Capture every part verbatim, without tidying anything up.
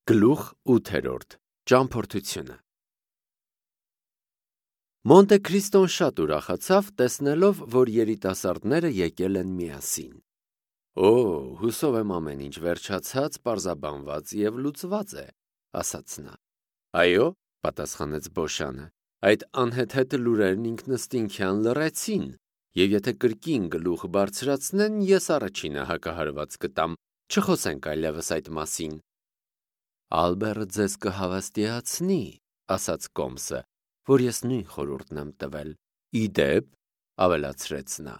Գլուխ ութերորդ. Ճամփորդությունը Մոնտե Քրիստոն շատ ուրախացավ, տեսնելով, որ երիտասարդները եկել են միասին։ Օ, հուսով եմ ամեն ինչ վերջացած, պարզաբանված և լուծված է, ասաց նա։ Այո, պատասխանեց Բոշանը, այդ անհեթեթ լուրերն ինքնըստինքյան լռեցին, և եթե կրկին գլուխ բարձրացնեն, ես առաջինը հակահարված կտամ, չխոսենք այլևս այդ մասին։ Ալբերը ձեզ կհավաստիացնի, ասաց Կոմսը, որ ես նույն խորհուրդն եմ տվել։ Ի դեպ, ավելացրեց նա,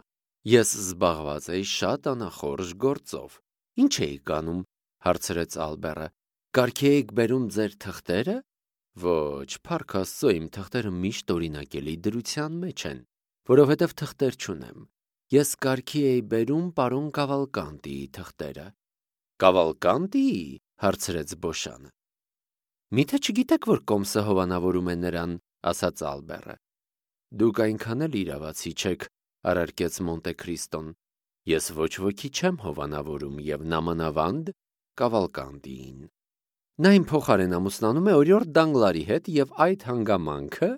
ես զբաղված էի շատ անախորժ գործով։ Ինչ էիք անում, հարցրեց Ալբերը, կարգի էիք բերում ձեր թղթերը։ Ոչ, փառք Աստծո, իմ թղթերը միշտ օրինակելի դրության մեջ են, որովհետև թղթեր չունեմ։ Ես կարգի էի բերում պարոն Կավալկանտիի թղթերը։ Կավալկանտիի, հարցրեց Բոշանը։ Միթե չգիտեք, որ Կոմսը հովանավորում է նրան, ասաց Ալբերը։ Դուք այնքան էլ իրավացի չեք, առարկեց Մոնտե Քրիստոն։ Ես ոչ ոքի չեմ հովանավորում և նամանավանդ Կավալկանտիին։ Նա իմ փոխարեն ամուսնանում է օրիորդ Դանգլարի հետ և այդ հանգամանքը,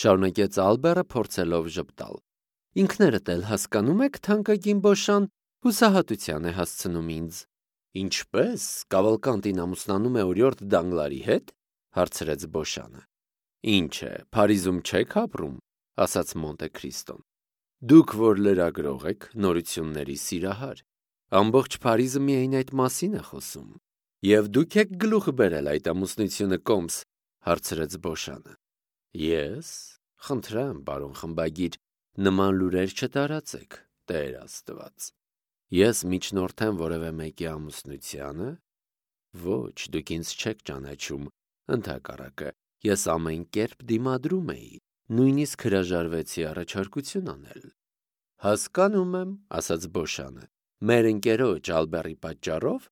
շարունակեց Ալբերը փորձելով ժպտալ։ Ինքներդ էլ հասկանում եք, թանկագին Բոշան, հուսահատության է հասցնում ինձ։ Ինչպե՞ս, Կավալկանտին ամուսնանում է օրիորդ Դանգլարի հետ, հարցրեց Բոշանը։ Ինչ է, Փարիզում չեք ապրում, ասաց Մոնտե Քրիստոն։ Դուք որ լրագրող եք, նորությունների սիրահար, ամբողջ Փարիզը միայն այդ մասին է խոսում։ Եվ դուք եք գլուխ բերել այդ ամուսնությունը, Կոմս, հարցրեց Բոշանը։ Ես, խնդրեմ, պարոն խմբագիր, նման լուրեր չտարածեք, Տեր Աստված։ Ես միջնորդեմ որևէ մեկի ամուսնությանը։ Ոչ, դուք ինձ չեք ճանաչում, ընդհակառակը, ես ամեն կերպ դիմադրում էի, նույնիսկ հրաժարվեցի առաջարկություն անել։ Հասկանում եմ, ասաց Բոշանը, մեր ընկերոջ Ալբերի պատճառով։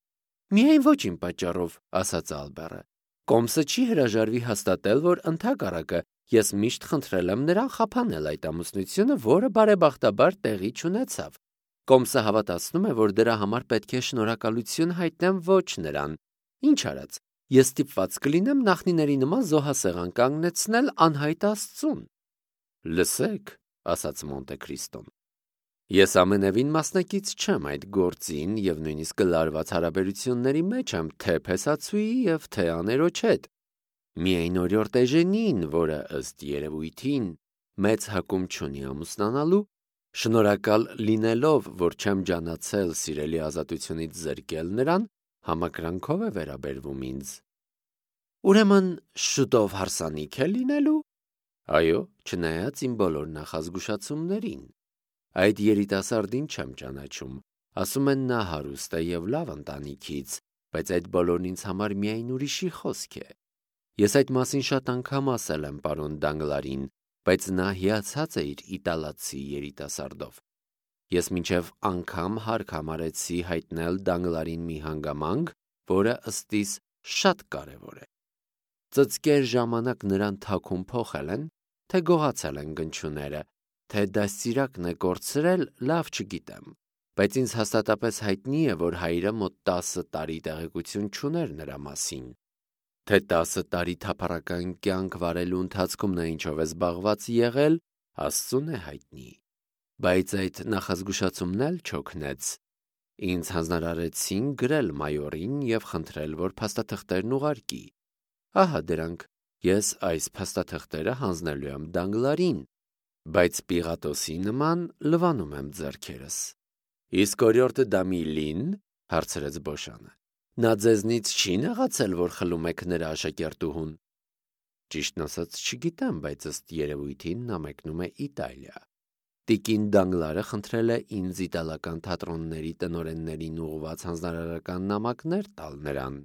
Միայն ոչ իմ պատճառով, ասաց Ալբերը։ Կոմսը չի հրաժարվի հաստատել, որ ընդհակառակը ես միշտ խնդրել եմ նրան խափանել այդ ամուսնությունը, որը բարեբախտաբար տեղի չունեցավ։ Կոմսը հավատացնում է, որ դրա համար պետք է շնորհակալություն հայտնեմ ոչ նրան։ Ինչ արած, ես ստիպված կլինեմ նախնիների նման զոհասեղան կանգնեցնել անհայտ Աստծուն։ Լսեք, ասաց Մոնտե Քրիստոն։ Ես ամենևին մասնակից չեմ այդ գործին և նույնիսկ լարված հարաբերությունների մեջ եմ թե փեսացուի և թե աներոջ հետ։ Միայն օրիորդ Էժենին, որը ըստ երևույթին մեծ հակում չունի ամուսնանալու, շնորհակալ լինելով, որ չեմ ջանացել սիրելի ազատությունից զրկել նրան, համակրանքով է վերաբերվում ինձ։ Ուրեմն շուտով հարսանիք է լինելու։ Այո, չնայած իմ բոլոր նախազգուշացումներին։ Այդ երիտասարդին չեմ ճանաչում, ասում են նա հարուստ է և լավ ընտանիքից, բայց այդ բոլորն ինձ համար միայն ուրիշի խոսք է։ Ես այդ մասին շատ անգամ ասել եմ պարոն Դանգլարին, բայց նա հիացած է իր իտալացի երիտասարդով։ Ես մինչև անգամ հարկ համարեցի հայտնել Դանգլարին մի հանգամանք, որը ըստիս շատ կարևոր է։ Ծծկեր ժամանակ նրան թաքուն փոխել են, թե գողացել են գնչուները, թե դաստիարակն է կորցրել, լավ չգիտեմ, բայց ինձ հաստատապես հայտնի է, որ հայրը մոտ տասը տարի տեղեկություն չուներ նրա մասին։ Թե տասը տարի թափառական կյանք վարելու ընթացքում նա ինչով է զբաղված եղել, Աստծուն է հայտնի։ Բայց այդ նախազգուշացումն էլ չօգնեց։ Ինձ հանձնարարեցին գրել մայորին և խնդրել, որ փաստաթղթերն ուղարկի։ Ահա դրանք, ես այս փաստաթղթերը հանձնելու եմ Դանգլարին, բայց Պիղատոսի նման լվանում եմ ձեռքերս։ Իսկ օրիորդը Դամիլին, հարցրեց Բոշանը, նա ձեզնից չի նեղացել, որ խլում եք նրա աշակերտուհուն։ Ճիշտն ասած չգիտեմ, բայց ըստ երևույթին նա մեկնում է Իտալիա։ Տիկին Դանգլարը խնդրել է ինձ իտալական թատրոնների տնօրեններին ուղղված հանձնարարական նամակներ տալ նրան։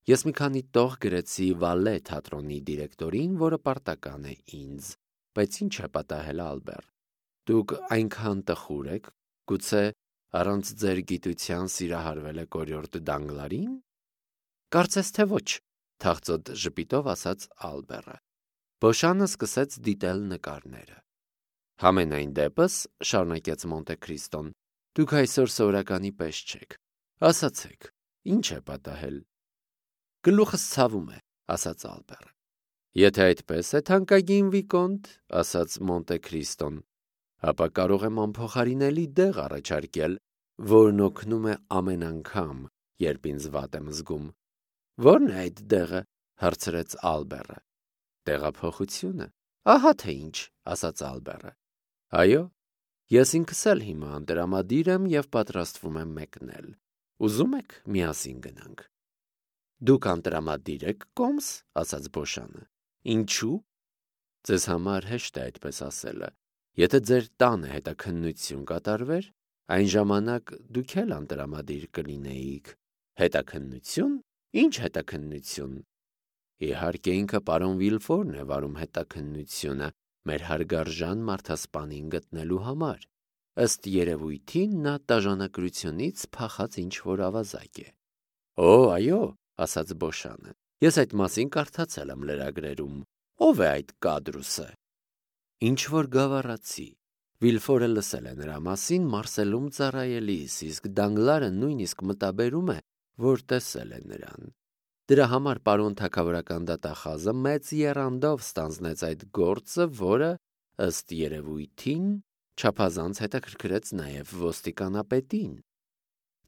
Ես մի քանի տող գրեցի Վալե թատրոնի դիրեկտորին, որը պարտական է ինձ, բայց ինչ է պատահել, Ալբեր։ Դուք այնքան տխուր եք, գուցե առանց ձեր գիտության սիրահարվել եք օրիորդ Դանգլարին։ Կարծես թե ոչ, թախծոտ ժպիտով ասաց Ալբերը։ Բոշանը սկսեց դիտել նկարները։ Համենայն դեպս, շարունակեց Մոնտե Քրիստոն, դուք այսօր սովորականի պես չեք։ Ասացեք, ինչ է պատահել։ Գլուխս ցավում է, ասաց Ալբերը։ Եթե այդպես է, թանկագին վիկոնտ, ասաց Մոնտե Քրիստոն, ապա կարող եմ անփոխարինելի դեղ առաջարկել, որն օգնում է ամեն անգամ, երբ ինձ վատ եմ զգում։ Ո՞րն է այդ դեղը, հարցրեց Ալբերը։ Տեղափոխությունը։ Ահա թե ինչ, ասաց Ալբերը։ Այո, ես ինքս էլ հիմա անդրամադիր եմ եւ պատրաստվում եմ մեկնել։ Ուզում եք միասին գնանք։ Դուք անդրամադիր եք, կոմս, ասաց Բոշանը։ Ինչու՞։ Ձեզ համար հեշտ է այդպես ասելը։ Եթե ձեր տանը հետաքննություն կատարվեր, այն ժամանակ դուք էլ անդրամադիր կլինեիք։ Հետաքննություն։ Ինչ հետաքննություն։ Իհարկե ինքը պարոն Վիլֆորն է վարում հետաքննությունը մեր հարգարժան մարդասպանին գտնելու համար։ Ըստ երևույթին նա տաժանակրությունից փախած ինչ-որ ավազակ է։ Օ, այո, ասաց Բոշանը։ Ես այդ մասին կարդացել եմ լրագրերում։ Ո՞վ է այդ կադրուսը։ Ինչ-որ գավառացի։ Վիլֆորը լսել է նրա մասին Մարսելում ծառայելիս, իսկ Դանգլարը նույնիսկ մտաբերում է, որ տեսել է նրան։ Դրա համար պարոն թագավորական դատախազը մեծ եռանդով ստանձնեց այդ գործը, որը, ըստ երևույթին, չափազանց հետաքրքրեց նաև ոստիկանապետին։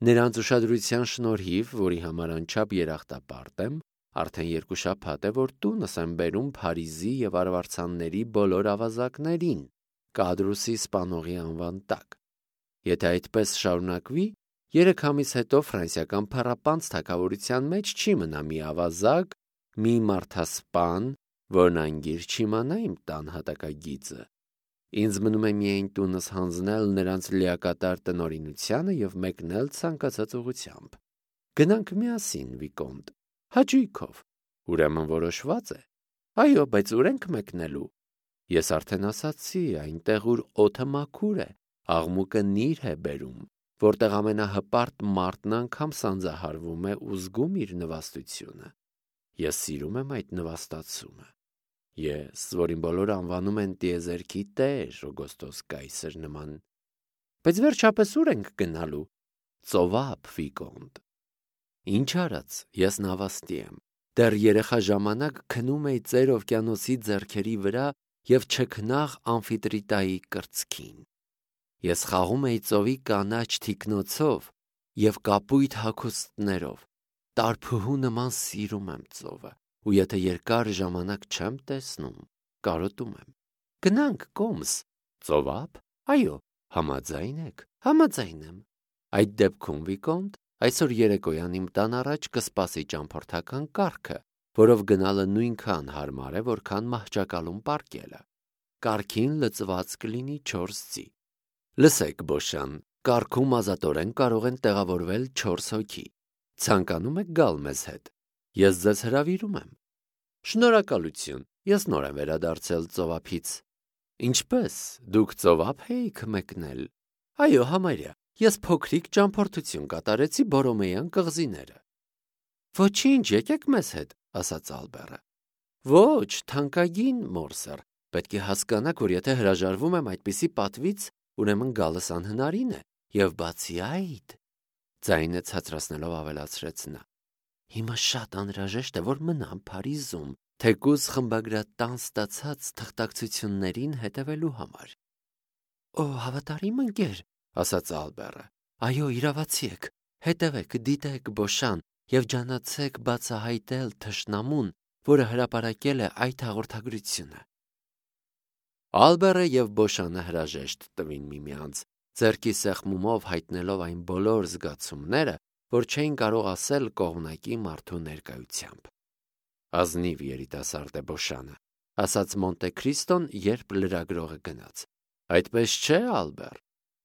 Նրանց ուշադրության շնորհիվ, որի համար անչափ երախտապարտ եմ, արդեն երկու շաբաթ է, որ տունս եմ բերում Փարիզի եւ արվարձանների բոլոր ավազակներին, կադրուսի սպանողի անվան տակ։ Եթե այդպես շարունակվի, երեք ամիս հետո ֆրանսիական փառապանծ թագավորության մեջ չի մնա մի ավազակ, մի մարդասպան, որն անգիր չիմանա իմ տան հատակագիծը։ Ինձ մնում է միայն տունս հանձնել նրանց լիակատար տնօրինությանը եւ մեկնել ցանկացած ուղությամբ։ Գնանք միասին, վիկոնտ, հաճույքով։ Ուրեմն որոշված է։ Այո, բայց ուր ենք մեկնելու։ Ես արդեն ասացի, այնտեղ ուր օդը մաքուր է, աղմուկը նիր է բերում, որտեղ ամենահպարտ մարդն անգամ սանձահարվում է ու զգում իր նվաստությունը։ Ես սիրում եմ այդ նվաստացումը։ Ես, որին բոլորը անվանում են տիեզերքի տեր, Օգոստոս կայսր նման։ Բայց վերջապես ուր ենք գնալու։ Ծովափ, վիկոնտ։ Ինչ արած, ես նավաստի եմ։ Դեռ երեխա ժամանակ քնում էի ծեր օվկիանոսի ձեռքերի վրա եւ չքնաղ ամֆիտրիտայի կրծքին։ Ես խաղում էի ծովի կանաչ թիկնոցով եւ կապույտ հագուստներով։ Տարփուհու նման սիրում եմ ծովը, ու եթե երկար ժամանակ չեմ տեսնում, կարոտում եմ։ Գնանք, կոմս։ Ծովափ։ Այո, համաձայն եք։ Համաձայն եմ։ Այդ դեպքում, վիկոնտ, այսօր երեկոյան իմ տան առաջ կսպասի ճամփորդական կառքը, որով գնալը նույնքան հարմար է, որքան մահճակալում պառկելը։ Կառքին լծված կլինի չորս ծի։ Լսեք, Բոշան, կառքում ազատորեն կարող են տեղավորվել չորս հոգի։ Ցանկանում եք գալ մեզ հետ։ Ես ձեզ հրավիրում եմ։ Շնորհակալություն։ Ես նոր եմ վերադարձել ծովափից։ Ինչպես, դուք ծովափ էիք մեկնել։ Այո, համարյա։ Ես փոքրիկ ճամփորդություն կատարեցի Բորոմեյան կղզիները։ Ոչինչ, եկեք մեզ հետ, ասաց Ալբերը։ Ոչ, թանկագին Մորսեր, պետք է հասկանաք, որ եթե հրաժարվում եմ այդպիսի պատվից, ուրեմն գալս անհնարին է, եւ բացի այդ, ձայնը ցածրացնելով ավելացրեց նա։ Հիմա շատ անհրաժեշտ է, որ մնամ Փարիզում, թեկուզ խմբագրատան ստացած թղթակցություններին հետևելու համար։ Օ, հավատարիմ ընկեր, ասաց Ալբերը։ Այո, իրավացի եք, հետևեք, դիտեք Բոշան եւ ջանացեք բացահայտել թշնամուն, որը հրապարակել է այդ հաղորդագրությունը։ Ալբերը եւ Բոշանը հրաժեշտ տվին միմյանց, ձեռքի սեղմումով հայտնելով այն բոլոր զգացումները, որ չէին կարող ասել կողմնակի մարդու ներկայությամբ։ Ազնիվ երիտասարդ է Բոշանը, ասաց Մոնտե Քրիստոն, երբ լրագրողը գնաց։ Այդպես չէ, Ալբեր։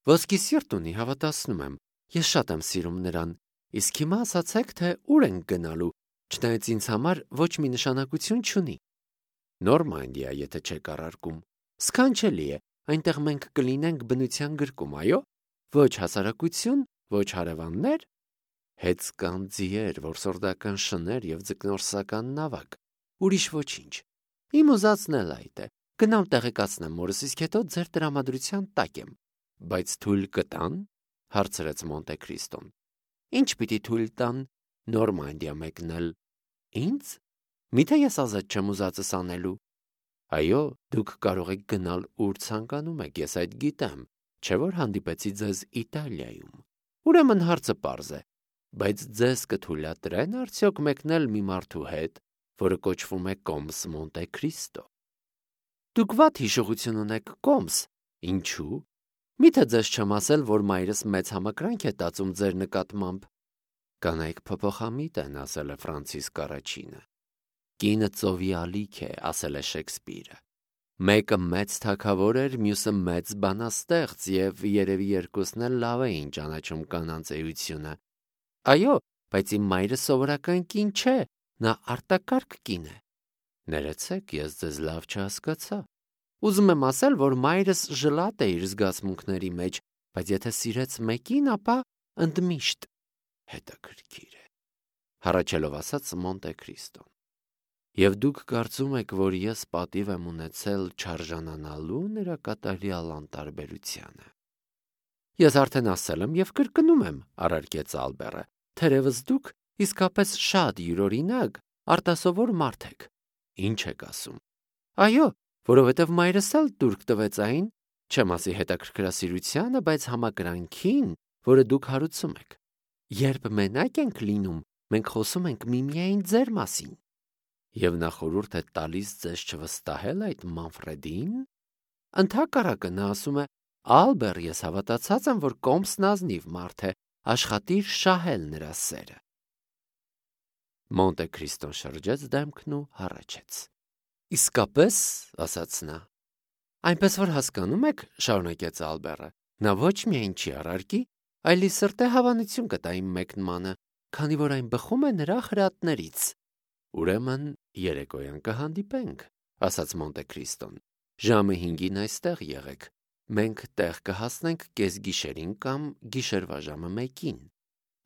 Ոսկի սիրտ ունի, հավատացնում եմ։ Ես շատ եմ սիրում նրան։ Իսկ հիմա ասացեք, թե ուր ենք գնալու, չնայած ինձ համար ոչ մի նշանակություն չունի։ Նորմանդիա, եթե չեք առարկում։ Սքանչելի է, այնտեղ մենք կլինենք բնության գրկում, այո։ Ոչ հասարակություն, ոչ հարևաններ, հեծկան ձիեր, որսորդական շներ եւ ձկնորսական նավակ։ Ուրիշ ոչինչ։ Իմ ուզածն էլ այդ է։ Գնամ տեղեկացնեմ մորս, իսկ հետո ձեր տրամադրության տակ եմ։ Բայց թույլ կտան, հարցրեց Մոնտե Քրիստոն։ Ինչ պիտի թույլ տան։ Նորմանդիա մեկնել։ Ինձ։ Միթե ես ազատ չեմ ուզածս անելու։ Այո, դուք կարող եք գնալ ուր ցանկանում եք, ես այդ գիտեմ, չէ՞ որ հանդիպեցի ձեզ Իտալիայում։ Ուրեմն հարցը պարզ է, բայց ձեզ կթույլատրե՞ն արդյոք մեկնել մի մարդու հետ, որը կոչվում է Կոմս Մոնտե Քրիստո։ Դուք վատ հիշողություն ունեք, Կոմս, ինչու՞։ Միթե ձեզ չեմ ասել, որ մայրս մեծ համակրանք է տածում ձեր նկատմամբ։ Կանայք փոփոխամիտ են, ասել է Ֆրանցիսկ առաջինը։ Կինը ծովի ալիք է, ասել է Շեքսպիրը։ Մեկը մեծ թագավոր էր, մյուսը մեծ բանաստեղծ, եւ երևի երկուսն էլ լավ էին ճանաչում կանանց էությունը։ Այո, բայց իմ մայրը սովորական կին չէ, նա արտակարգ կին է։ Ներեցեք, ես ձեզ լավ չհասկացա։ Ուզում եմ ասել, որ մայրս ժլատ է իր զգացմունքների մեջ, բայց եթե սիրեց մեկին, ապա ընդմիշտ հետաքրքիր է, հառաչելով ասաց Մոնտե Քրիստոն։ Եվ դուք կարծում եք, որ ես պատիվ եմ ունեցել չարժանանալու նրա կատարյալ անտարբերությանը։ Ես արդեն ասել եմ եւ կրկնում եմ, առարկեց Ալբերը, թերևս դուք իսկապես շատ յուրօրինակ, արտասովոր մարդ եք։ Ինչ եք ասում։ Այո, որովհետև մայրս էլ տուրք տվեց այն, չեմ ասի հետաքրքրասիրությանը, բայց համակրանքին, որը դուք հարուցում եք։ Երբ մենակ ենք լինում, մենք խոսում ենք միմիայն ձեր մասին։ Եվ նա խորհուրդ է տալիս ձեզ չվստահել այդ Մանֆրեդին։ Ընդհակառակը նա ասում է. Ալբեր, ես հավատացած եմ, որ Կոմսն ազնիվ մարդ է, աշխատիր շահել նրա սերը։ Մոնտե Քրիստոն շրջեց դեմքն ու հառաչեց։ Իսկապես, ասաց նա։ Այնպես որ հասկանում եք, շարունակեց Ալբերը, նա ոչ միայն չի առարկի, այլ ի սրտե հավանություն կտա իմ մեկնմանը, քանի որ այն բխում է նրա խրատներից։ Ուրեմն երեկոյան կհանդիպենք, ասաց Մոնտե Քրիստոն։ Ժամը հինգին այստեղ եղեք։ Մենք տեղ կհասնենք կեսգիշերին կամ գիշերվա ժամը մեկին։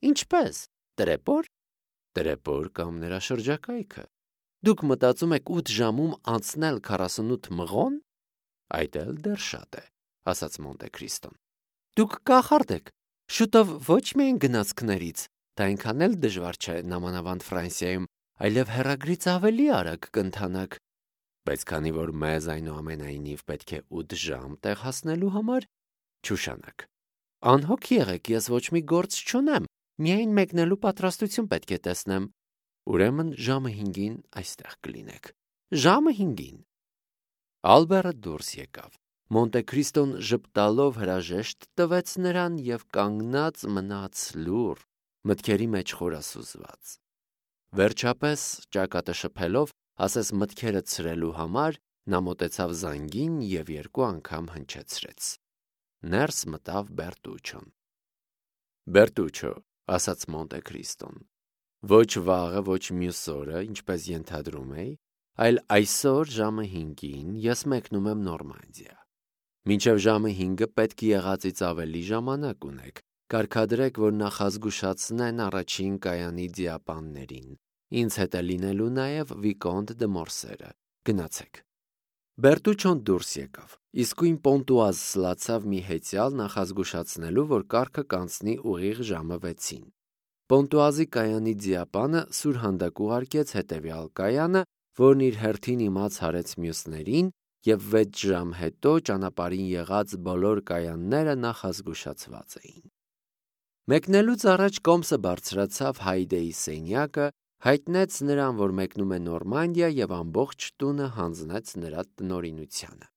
Ինչպես։ Տրեպոր։ Տրեպոր կամ նրա շրջակայքը։ Դուք մտածում եք ութ ժամում անցնել քառասունութ մղոն։ Այդ էլ դեռ շատ է, ասաց Մոնտե Քրիստոն։ Դուք կախարդ եք։ Շուտով ոչ միայն գնացքներից, դա այնքան էլ դժվար չէ նամանավանդ Ֆրանսիայում, այլև հեռագրից ավելի արագ կընթանաք։ Բայց քանի որ մեզ այնուամենայնիվ պետք է ութ ժամ տեղ հասնելու համար, չուշանաք։ Անհոգ եղեք, ես ոչ մի գործ չունեմ, միայն մեկնելու պատրաստություն պետք է տեսնեմ։ Ուրեմն ժամը հինգին այստեղ կլինեք։ Ժամը հինգին։ Ալբերը դուրս եկավ։ Մոնտե Քրիստոն ժպտալով հրաժեշտ տվեց նրան եւ կանգնած մնաց լուռ, մտքերի մեջ խորասուզված։ Վերջապես, ճակատը շփելով, ասես մտքերը ցրելու համար, նա մոտեցավ զանգին եւ երկու անգամ հնչեցրեց։ Ներս մտավ Բերտուչոն։ Բերտուչո, ասաց Մոնտե Քրիստոն, ոչ վաղը, ոչ մյուս օրը, ինչպես ենթադրում էի, այլ այսօր ժամը հինգին ես մեկնում եմ Նորմանդիա։ Մինչև ժամը հինգը պետք եղածից ավելի ժամանակ ունեք։ Կարգադրեք, որ նախազգուշացնեն առաջին կայանի դիապաններին։ Ինձ հետ է լինելու նաև Վիկոնտ դե Մորսերը։ Գնացեք։ Բերտուչոն դուրս եկավ։ Իսկույն Պոնտուազ սլացավ մի հեծյալ նախազգուշացնելու, որ կարգը կանցնի ուղիղ ժամը վեցին։ Պոնտուազի կայանի դիապանը սուրհանդակ ուղարկեց հետևյալ կայանը, որն իր հերթին իմաց հարեց մյուսներին, եւ վեց ժամ հետո ճանապարհին եղած բոլոր կայանները նախազգուշացված էին։ Մեկնելուց առաջ Կոմսը բարձրացավ Հայդեի սենյակը, հայտնեց նրան, որ մեկնում է Նորմանդիա եւ ամբողջ տունը հանձնեց նրա տնօրինությանը։